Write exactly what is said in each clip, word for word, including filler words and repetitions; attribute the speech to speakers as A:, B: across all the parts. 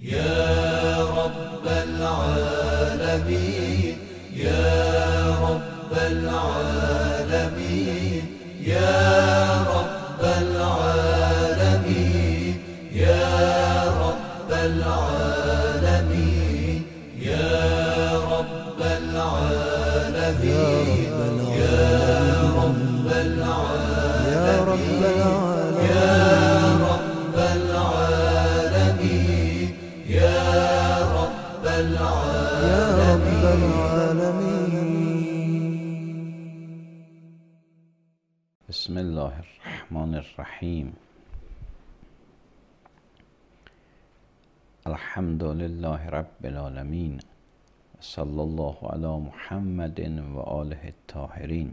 A: يا رب العالمين يا رب العالمين يا رب العالمين يا رب العالمين يا رب العالمين يا رب العالمين يا رب العالمين يا رب العالمين.
B: بسم الله الرحمن الرحیم. الحمد لله رب العالمین. صلی الله علی محمد و آله الطاهرین.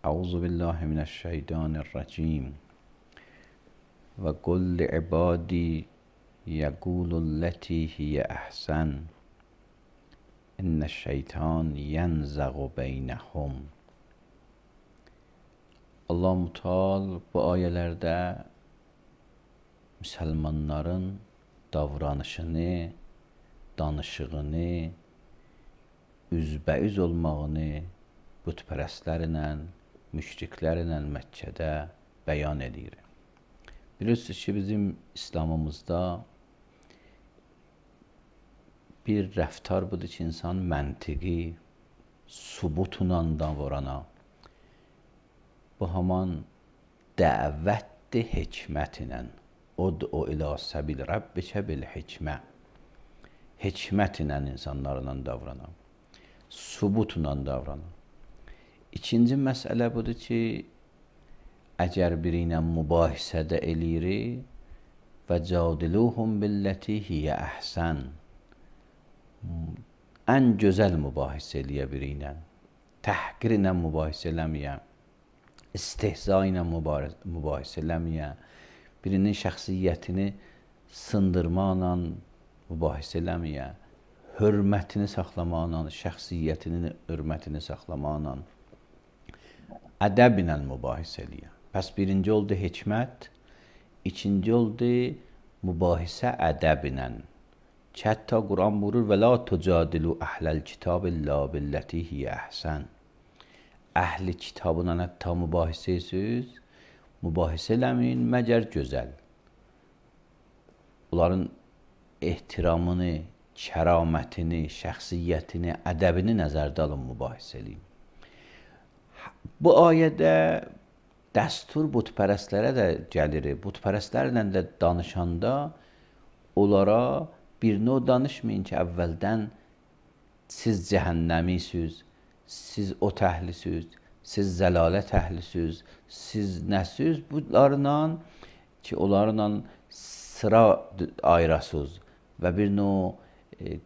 B: اعوذ بالله من الشیطان الرجیم. و قل لعبادی یقول التی هی احسن ان الشیطان ینزغ بینهم. Allah Teala bu ayələrdə müsəlmanların davranışını, danışığını, üzbəüz olmağını bütpərəstlərlə, müşriklərlə Məkkədə bəyan edir. Bilirsiniz ki, bizim İslamımızda bir rəftar budur ki, insan məntiqi, subutla davrana. Bu haman dəvətdir hikmətlə. Ud'u ilə səbil Rabbikə bil hikmə. Hikmətlə insanlarla davrana. Subutla davrana. İkinci məsələ budur ki, əgər biri ilə mübahisədə elirik və cadiluhum billəti hiyə əhsən. Ən gözəl mübahisə eləyə biri ilə. Təhqir ilə mübahisə eləməyə. İstehza ilə mübahisə eləməyə, birinin şəxsiyyətini sındırmaqla mübahisə eləməyə, hörmətini saxlamaqla, şəxsiyyətinin hörmətini saxlamaqla, ədəb ilə mübahisə eləyə. Pəs birinci oldu hikmət, ikinci oldu mübahisə ədəb ilə. Ki, hətta Quran buyurur və la tucadilu əhləl kitab illə billəti hiyə əhsən. Əhli kitabına hətta mübahisə edirsiniz, mübahisə eləməyin, məgər gözəl. Onların ehtiramını, kəramətini, şəxsiyyətini, ədəbini nəzərdə alın, mübahisə eləyin. Bu ayədə dəstur bütpərəstlərə də gəlir. Bütpərəstlərlə də danışanda onlara bir növ danışmayın ki, əvvəldən siz cəhənnəmisiniz, siz o təhlisiniz, siz zəlalət əhlisiniz, siz nəsiz, bunlarla ki, onlarla sıra ayırasınız və bir növ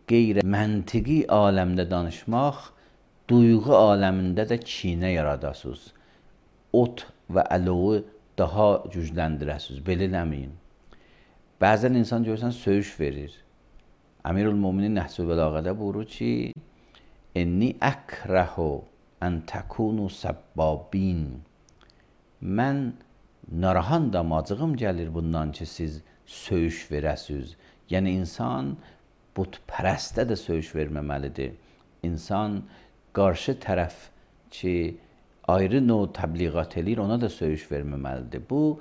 B: qeyri məntiqi aləmdə danışmaq, duyğu aləmində də kinə yaradasınız. Ot və əlovu daha gücləndirəsiniz, belə eləməyin. Bəzən insan görürsən, söyüş verir. Əmirül-Müminin Nəhcül Bəlağədə buyurur ki, İnni əkrəhu ən təkunu səbbabin. Mən narahandam, acığım gəlir bundan ki, siz söyüş verəsiniz. Yəni, insan bütpərəstə də söyüş verməməlidir. İnsan qarşı tərəf ki, ayrı növ təbliğat eləyir, ona da söyüş verməməlidir. Bu,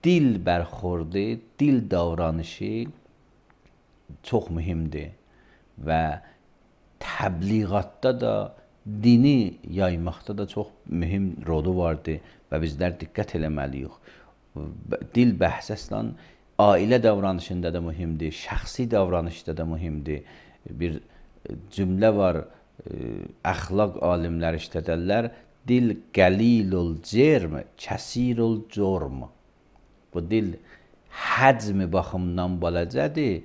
B: dil bərxordu, dil davranışı çox mühümdir və təbliğatda da, dini yaymaqda da çox mühüm rolu vardır və bizlər diqqət eləməliyik. Dil bəhs əslən ailə davranışında da mühümdir, şəxsi davranışda da mühümdir. Bir cümlə var, əxlaq alimləri işlədərlər, dil qəlilul cerm, kəsirul corm. Bu dil həcmi baxımından balacədir,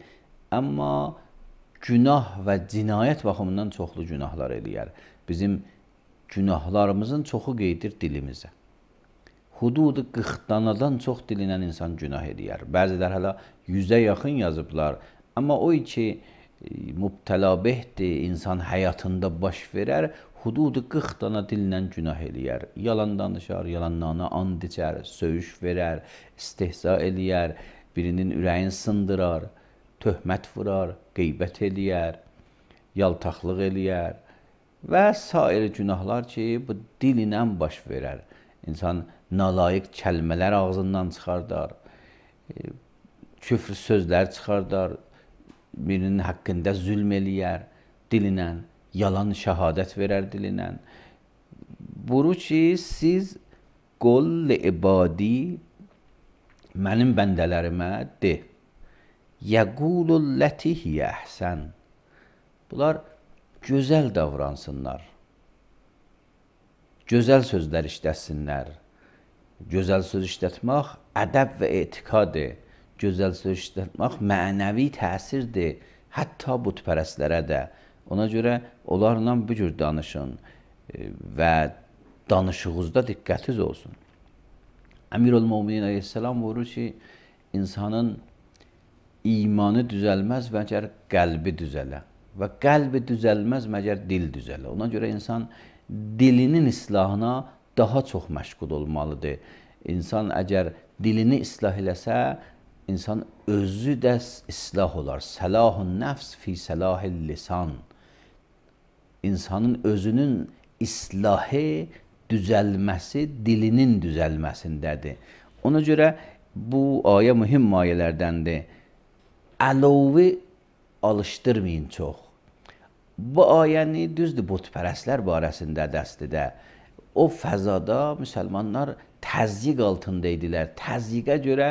B: amma günah və cinayət baxımından çoxlu günahlar eləyər. Bizim günahlarımızın çoxu qeydir dilimizə. Hududu qırx danadan çox dilinən insan günah eləyər. Bəzilər hələ yüzə yaxın yazıblar. Amma o ki, mübtəla behdir, insan həyatında baş verər, hududu qırx dana dillə günah eləyər. Yalan danışar, yalanlarına and içər, söyüş verər, istehza eləyər, birinin ürəyini sındırar. töhmət vurar, qeybət eləyər, yaltaqlıq eləyər və sair günahlar ki, bu dil ilə baş verər. İnsan nalayiq kəlmələr ağzından çıxardar, küfr sözlər çıxardar, birinin haqqında zülm eləyər dilinə, yalan şəhadət verər dilinə. Buyurur ki, siz qul ibadi, mənim bəndələrimə de, yəqulul ləti hiyə əhsən. Bunlar gözəl davransınlar, gözəl sözlər işlətsinlər. Gözəl söz işlətmək ədəb və etiqadır. Gözəl söz işlətmək mənəvi təsirdir, hətta bütpərəstlərə də. Ona görə onlarla bu cür danışın və danışığınızda diqqətiniz olsun. Əmirül-Möminin əleyhissalam buyurur ki, insanın imanı düzəlməz məgər qəlbi düzələ və qəlbi düzəlməz məgər dil düzələ. Ona görə insan dilinin islahına daha çox məşğul olmalıdır. İnsan əgər dilini islah eləsə, insan özü də islah olar. Səlahun nəfs fi səlahil lisan. İnsanın özünün islahı, düzəlməsi dilinin düzəlməsindədir. Ona görə bu ayə mühüm ayələrdəndir. Əlovi alışdırmayın çox. Bu ayəni düzdür, bütpərəstlər barəsində dəstidə. O fəzada müsəlmanlar təzyiq altında idilər. Təzyiqə görə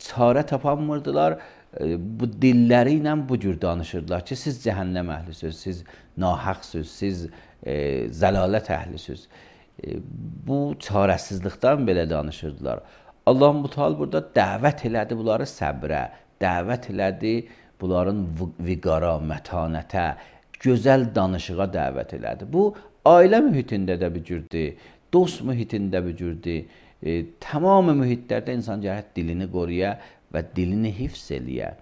B: çarə tapanmırdılar. Bu dilləri ilə bu cür danışırdılar ki, siz cəhənnəm əhlisiniz, siz nahaqsınız, siz e, zəlalət əhlisiniz. E, bu çarəsizlikdən belə danışırdılar. Allah-u burada dəvət elədi bunları səbrə, dəvət elədi bunların viqara, mətanətə, gözəl danışığa dəvət elədi. Bu ailə mühitində də bir cürdür, dost mühitində bir cürdür. E, tamam mühitlərdə insan gərək dilini qoruya və dilini hifz eləyə.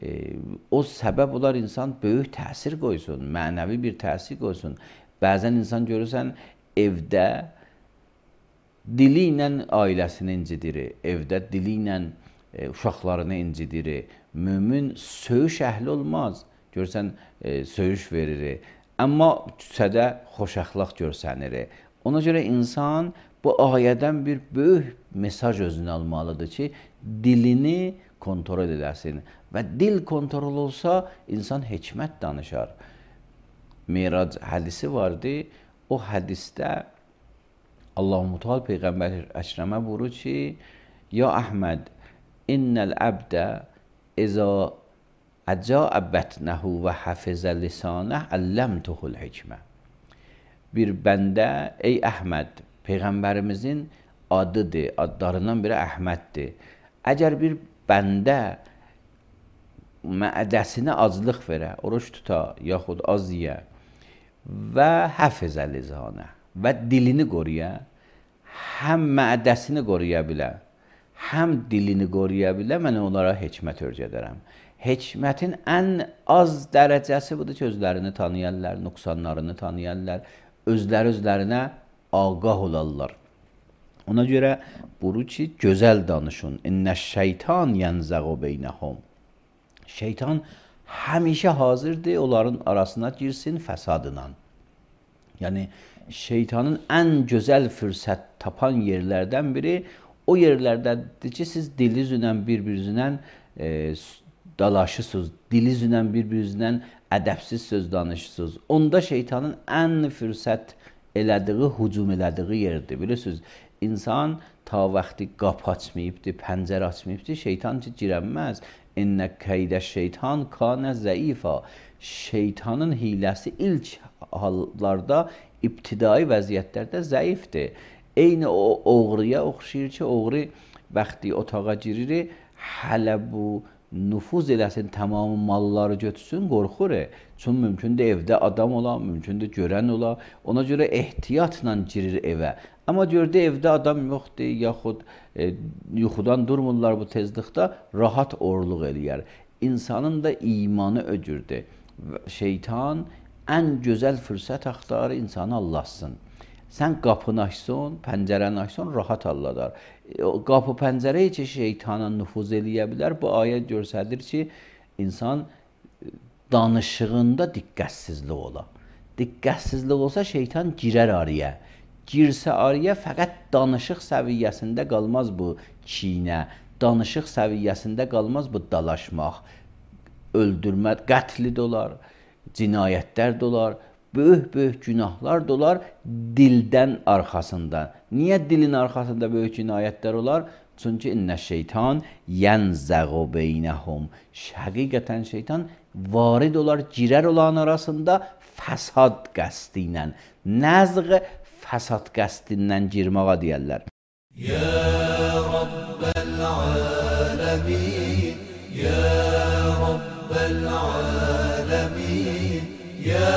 B: E, o səbəb olar insan böyük təsir qoysun, mənəvi bir təsir qoysun. Bəzən insan görürsən evdə dili ilə ailəsini incidir, evdə dili ilə e, uşaqlarını incidir. Mömin söyüş əhli olmaz. Görürsən e, söyüş verir. Amma küçədə xoşəxlaq görsənir. Ona görə insan bu ayədən bir böyük mesaj özünə almalıdır ki, dilini kontrol edəsin. Və dil kontrol olsa, insan hikmət danışar. Mirac hədisi vardı. O hədisdə Allah-u Teala Peyğəmbər Əkrəmə buyurur ki, Ya Əhməd, innəl əbdə izə əcəə bətnəhu və həfizə lisanəh əlləmtuhul hikmə. Bir bəndə, ey Əhməd, Peyğəmbərimizin adıdır, adlarından biri Əhməddir. Əgər bir bəndə mədəsinə aclıq verə, oruç tuta, yaxud az yeyə və həfizə lisanə və dilini qoruya, həm mədəsini qoruya bilə, həm dilini qoruya bilə, mən onlara hikmət öyrədərəm. Hikmətin ən az dərəcəsi budur ki, özlərini tanıyarlar, nüqsanlarını tanıyarlar, özləri özlərinə ağah olarlar. Ona görə buyurur ki, gözəl danışın. İnnəş şeytan yənzəğu beynəhum. Şeytan həmişə hazırdır, onların arasına girsin fəsadla. Yəni, şeytanın ən gözəl fürsət tapan yerlərdən biri o yerlərdədir ki, siz dilinizlə bir-birinizlə e, dalaşısınız, dilinizlə bir-birinizlə ədəbsiz söz danışırsınız. Onda şeytanın ən fürsət elədiyi, hücum elədiyi yerdir. Bilirsiniz, insan ta vaxtı qapı açmayıbdır, pəncərə açmayıbdır, şeytan ki, girənməz. İnnə keydə şeytan kanə zəifa. Şeytanın hiləsi ilk hallarda, ibtidai vəziyyətlərdə zəifdir. Eyni o oğruya oxşayır ki, oğru vaxtı otağa girir, hələ bu nüfuz eləsin, tamamı malları götürsün, qorxur. Çünki mümkündür evdə adam ola, mümkündür görən ola. Ona görə ehtiyatla girir evə. Amma gördü evdə adam yoxdur, yaxud e, yuxudan durmurlar bu tezlikdə, rahat orluq eləyər. İnsanın da imanı öcürdür. Şeytan ən gözəl fürsət axtarır insanı Allahsın. Sən qapını açsan, pəncərəni açsan, rahat halladar. O qapı pəncərəyə ki, şeytana nüfuz eləyə bilər. Bu ayə göstərir ki, insan danışığında diqqətsizlik ola. Diqqətsizlik olsa şeytan girər araya. Girsə araya fəqət danışıq səviyyəsində qalmaz bu çiynə. Danışıq səviyyəsində qalmaz bu dalaşmaq. Öldürmə, qətli də olar, cinayətlər də olar, böyük-böyük günahlar da olar dildən arxasında. Niyə dilin arxasında böyük cinayətlər olar? Çünki innə şeytan yənzəğu beynəhum. Həqiqətən şeytan varid olar, girər olan arasında fəsad qəsdi ilə. Nəzğ fəsad qəstindən girməğa deyərlər.
A: Ya Rabbəl aləmin, Ya Rabbəl aləmin, Ya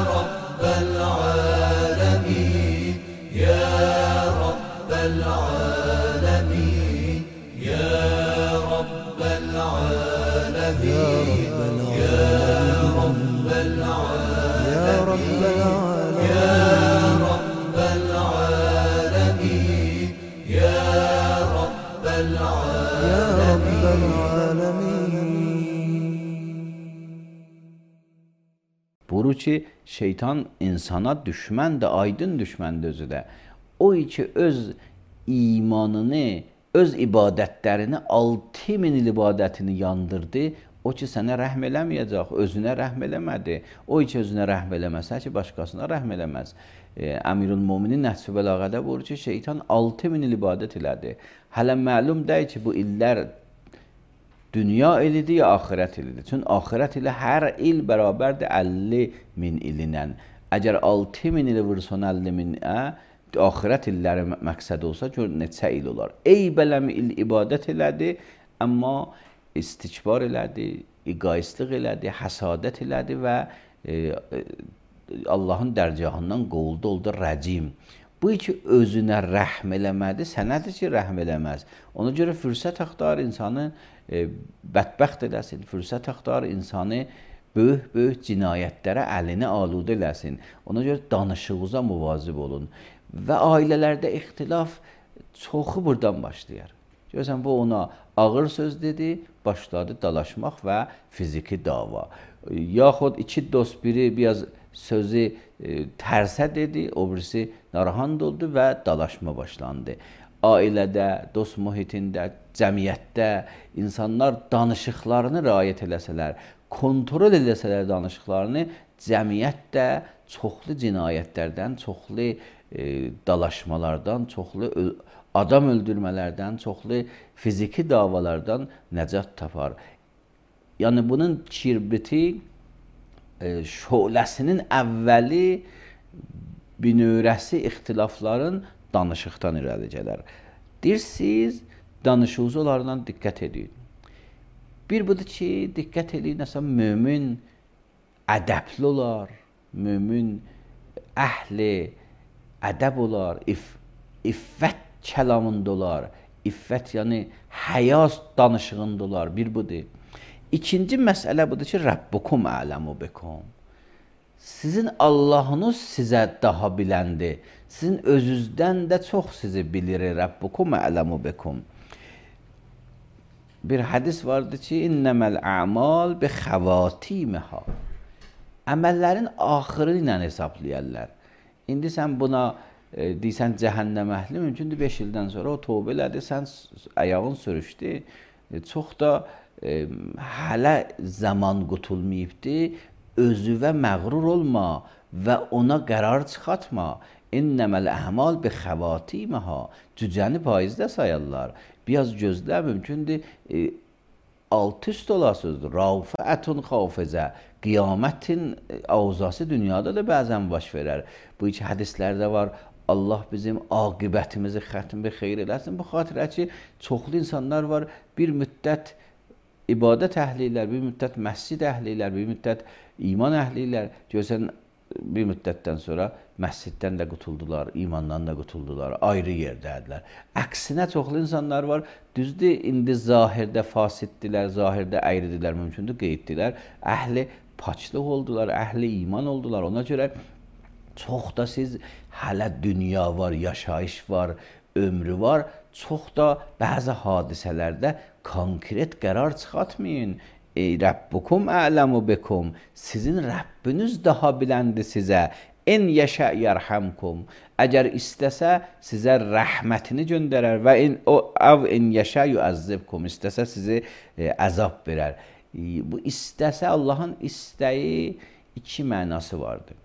A: Rabbəl aləmin, Ya Rabbəl aləmin, Ya Rabbəl aləmin, Ya Rabbəl aləmin, Ya Rabbəl aləmin, Ya Rabbəl aləmin.
B: Buru ki, şeytan insana düşməndir, aydın düşməndir özü də. O ki, öz imanını, öz ibadətlərini, altı min il ibadətini yandırdı. O ki, sənə rəhm eləməyəcək, özünə rəhm eləmədi. O ki, özünə rəhm eləməsə ki, başqasına rəhm eləməz. E, Əmirül-Müminin Nəhcü Bəlağədə buyurur ki, şeytan altı min il ibadət elədi. Hələ məlum deyil ki, bu illər dünya ilidir ya axirət ilidir. Çünki axirət ilə hər il bərabərdir əlli min ilinə. Əgər altı min ili vursan əlli minə, axirət illəri məqsəd olsa, gör neçə il olar. Ey bələm il ibadət elədi, amma istikbar elədi, egoistlik elədi, həsadət elədi və e, Allahın dərgahından qovuldu, oldu rəcim. Bu ki, özünə rəhm eləmədi, sənədir ki, rəhm eləməz. Ona görə fürsət axtar insanı e, bədbəxt eləsin, fürsət axtar insanı böyük-böyük cinayətlərə əlini aludə eləsin. Ona görə danışığınıza müvazib olun. Və ailələrdə ixtilaf çoxu buradan başlayar. Görürsən, bu ona ağır söz dedi, başladı dalaşmaq və fiziki dava. Yaxud iki dost biri biraz sözü e, tərsə dedi, o birisi narahat oldu və dalaşma başlandı. Ailədə, dost mühitində, cəmiyyətdə insanlar danışıqlarını riayət eləsələr, kontrol eləsələr danışıqlarını, cəmiyyətdə çoxlu cinayətlərdən, çoxlu e, dalaşmalardan, çoxlu adam öldürmələrdən, çoxlu fiziki davalardan nəcat tapar. Yəni bunun kirbiti e, şöləsinin əvvəli binörəsi ixtilafların danışıqdan irəli gələr. Deyirsiniz, danışığınız onlardan diqqət edin. Bir budur ki, diqqət edin, nəsə mömin ədəbli olar, mömin əhli ədəb olar, if, iffət kəlamında olar, iffət yəni həyas danışığında olar, bir budur. İkinci məsələ budur ki, Rəbbukum ələmu bikum. Sizin Allahınız sizə daha biləndir. Sizin özünüzdən də çox sizi bilir. Rəbbukum ələmu bikum. Bir hədis vardı ki, İnnəməl əmal bi xəvatiməhə. Əməllərin axırı ilə hesablayarlar. İndi sən buna e, deysən cəhənnəm əhli, mümkündür beş ildən sonra o tövbə elədi, sən ayağın sürüşdü. E, çox da e, hələ zaman qutulmayıbdır. Özüvə məğrur olma və ona qərar çıxartma. İnnəməl əmal bi xəvatiməhə. Cücəni paizdə sayarlar. Biraz gözlə, mümkündür e, alt üst olasıdır. Rafətun xafizə. Qiyamətin avzası dünyada da bəzən baş verər. Bu iki hədislərdə var. Allah bizim aqibətimizi xətmi xeyr eləsin. Bu xatirə ki, çoxlu insanlar var. Bir müddət ibadət əhlilər, bir müddət məscid əhlilər, bir müddət iman əhlilər. Görsən, bir müddətdən sonra məsciddən də qutuldular, imandan da qutuldular, ayrı yerdədirlər. Əksinə çoxlu insanlar var, düzdür, indi zahirdə fasiddirlər, zahirdə əyridirlər, mümkündür qeyddirlər. Əhli paçlıq oldular, əhli iman oldular. Ona görə Çox da siz hələ dünya var, yaşayış var, ömrü var. Çox da bəzi hadisələrdə konkret qərar çıxartmayın. Ey Rabbukum a'lamu bikum. Sizin Rəbbiniz daha biləndir sizə. En yəşə yərhamkum. Əgər istəsə sizə rəhmətini göndərər və in o av en yəşə yuəzzibkum. İstəsə sizi e, əzab verər. E, bu istəsə Allahın istəyi iki mənası vardır.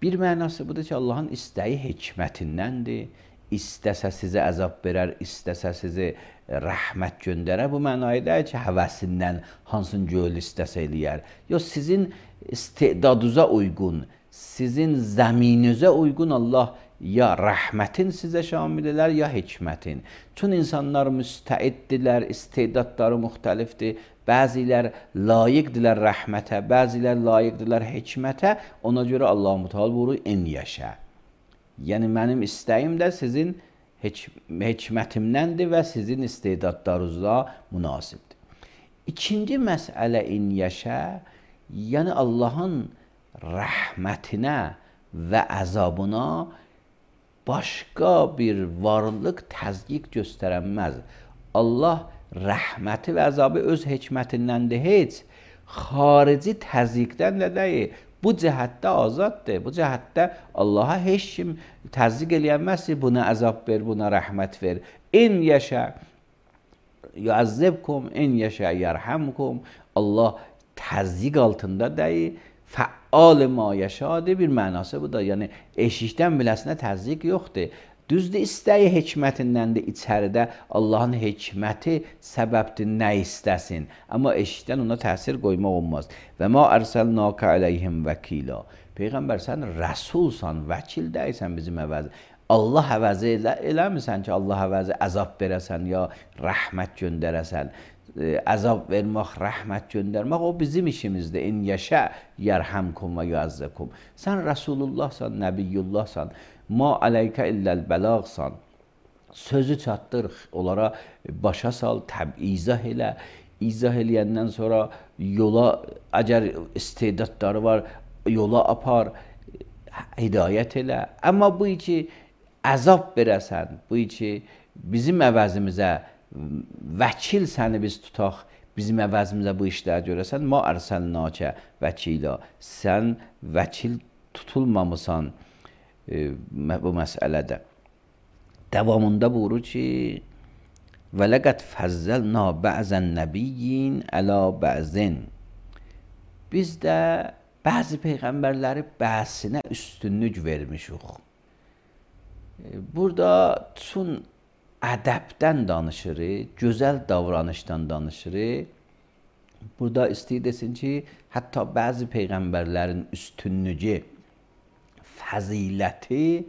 B: Bir mənası budur ki, Allahın istəyi hikmətindəndir. İstəsə sizə əzab verər, istəsə sizi rəhmət göndərər. Bu mənayı deyil ki, həvəsindən hansını göl istəsə eləyər. Yox, sizin istedadınıza uyğun, sizin zəminizə uyğun Allah ya rəhmətin sizə şamil elər, ya hikmətin. Çün insanlar müstəiddirlər, istedadları müxtəlifdir. Bəzilər layiqdirlər rəhmətə, bəzilər layiqdirlər hikmətə. Ona görə Allah-u Teala buyurur, en yaşa. Yəni mənim istəyim də sizin hikmətimdəndir və sizin istedadlarınızla münasibdir. İkinci məsələ in yaşa, yəni Allahın rəhmətinə və əzabına başqa bir varlıq təzyiq göstərənməz. Allah rəhməti və əzabı öz hikmətindəndir, heç xarici təzyiqdən də deyil. Bu cəhətdə azaddır. Bu cəhətdə Allaha heç kim təzyiq eləyənməz ki, buna əzab ver, buna rəhmət ver. En yaşa yuəzzibkum, en yaşa yərhamkum. Allah təzyiq altında deyil, fəal ma yaşadır. Bir mənası bu da. Yəni eşikdən biləsinə təzyiq yoxdur. Düzdür, istəyi hikmətindəndir, içəridə Allahın hikməti səbəbdir, nə istəsin. Amma eşikdən ona təsir qoymaq olmaz. Və ma ərsəlnəkə əleyhim vəkila. Peyğəmbər, sən rəsulsan, vəkil deyilsən bizim əvəzi. Allah əvəzi elə, eləmirsən ki, Allah əvəzi əzab verəsən, ya rəhmət göndərəsən. Əzab vermək, rəhmət göndərmək, o bizim işimizdir. İn yəşə yərhamkum və yuəzzəkum. Sən Rəsulullahsan, Nəbiyyullahsan. Ma ələykə illəl bəlağsan. Sözü çatdır, onlara başa sal, təb izah elə. İzah eləyəndən sonra yola, əgər istedadları var, yola apar, hidayət elə. Amma bu ki, əzab verəsən, bu ki, bizim əvəzimizə vəkil səni biz tutaq, bizim əvəzimizə bu işləri görəsən, ma ərsəlnəkə vəkila. Sən vəkil tutulmamısan bu məsələdə. Davamında buyurur ki, və ləqəd fəzzəlnə bə'zən nəbiyyin ələ bə'zin. Biz də bəzi peyğəmbərləri bəzinə üstünlük vermişik. Burada çün ədəbdən danışırıq, gözəl davranışdan danışırıq. Burada istəyir desin ki, hətta bəzi peyğəmbərlərin üstünlüyü, fəziləti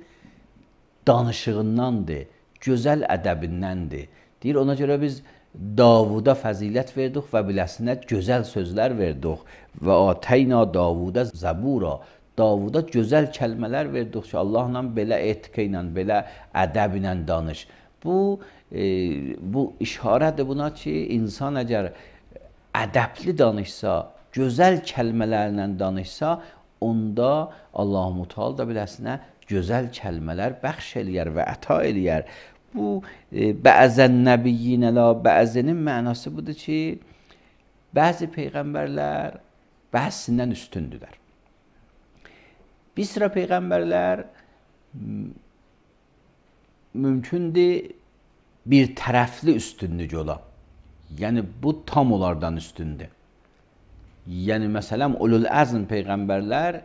B: danışığındandır, gözəl ədəbindəndir. Deyir, ona görə biz Davuda fəzilət verdik və biləsinə gözəl sözlər verdik. Və atəyna Davuda zəbura. Davuda gözəl kəlmələr verdik ki, Allahla belə etiqə ilə, belə ədəb ilə danış. Bu, e, bu işarədir buna ki, insan əgər ədəbli danışsa, gözəl kəlmələrlə danışsa, onda Allah-u Teala da biləsinə gözəl kəlmələr bəxş eləyər və əta eləyər. Bu e, bəzən nəbiyyin ələ bəzənin mənası budur ki, bəzi peyğəmbərlər bəzisindən üstündürlər. Bir sıra peyğəmbərlər mümkündür bir tərəfli üstünlük ola. Yəni bu tam onlardan üstündür. Yəni məsələn ulul əzm peyğəmbərlər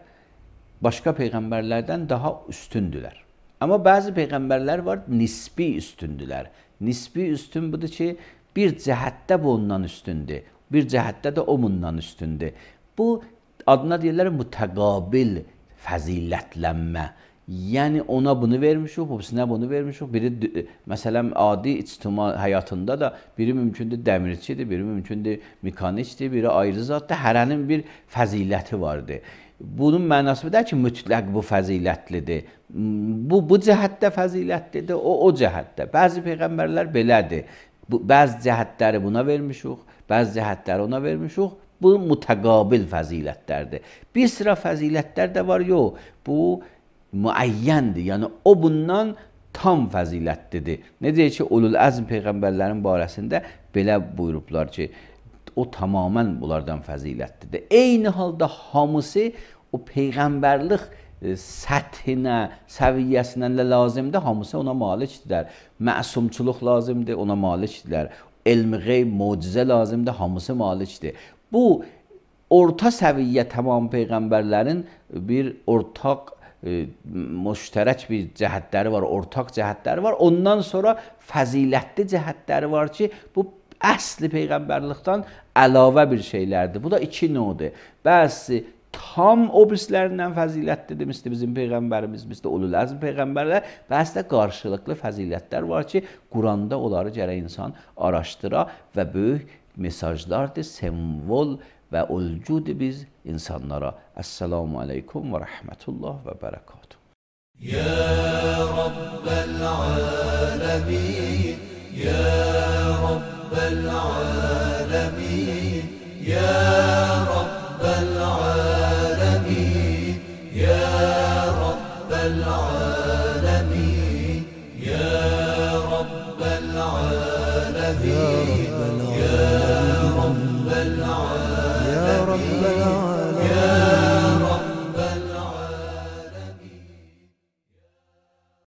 B: başqa peyğəmbərlərdən daha üstündülər. Amma bəzi peyğəmbərlər var, nisbi üstündülər. Nisbi üstün budur ki, bir cəhətdə bu ondan üstündür, bir cəhətdə də o bundan üstündür. Bu adına deyirlər mütəqabil fəzilətlənmə. Yəni ona bunu vermişik, hepsinə bunu vermişik. Biri məsələn adi ictimai həyatında da biri mümkündür dəmirçidir, biri mümkündür mekanikdir, biri ayrı zatdır. Hərənin bir fəziləti vardır. Bunun mənası da ki, mütləq bu fəzilətlidir. Bu bu cəhətdə fəzilətlidir, o o cəhətdə. Bəzi peyğəmbərlər belədir. Bu bəzi cəhətləri buna vermişik, bəzi cəhətləri ona vermişik. Bu mütəqabil fəzilətlərdir. Bir sıra fəzilətlər də var, yox. Bu müəyyəndir. Yəni o bundan tam fəzilətlidir. Necə ki, ulul əzm peyğəmbərlərin barəsində belə buyurublar ki, o tamamən bunlardan fəzilətlidir. Eyni halda hamısı o peyğəmbərlik səthinə, səviyyəsinə lazımdır, hamısı ona malikdirlər. Məsumçuluq lazımdır, ona malikdirlər. Elm-i qeyb, mucizə lazımdır, hamısı malikdir. Bu orta səviyyə tamam peyğəmbərlərin bir ortaq e, müştərək bir cəhətləri var, ortaq cəhətləri var. Ondan sonra fəzilətli cəhətləri var ki, bu əsli peyğəmbərlikdən əlavə bir şeylərdir. Bu da iki növdür. Bəzi tam o birislərindən fəzilətlidir, misli bizim peyğəmbərimiz, misli ulul əzm peyğəmbərlər. Bəzi də qarşılıqlı fəzilətlər var ki, Quranda onları gərək insan araşdıra və böyük mesajlardır, simvol və ulcudur biz insanlara. Əssalamu aleykum və rəhmətullah və bərəkatuhu.
A: Ya Rabbel alemin, Ya Rabbel alemin, Ya Rabbel alemin, Ya Rabbel alemin, Ya Rabbel alemin, Ya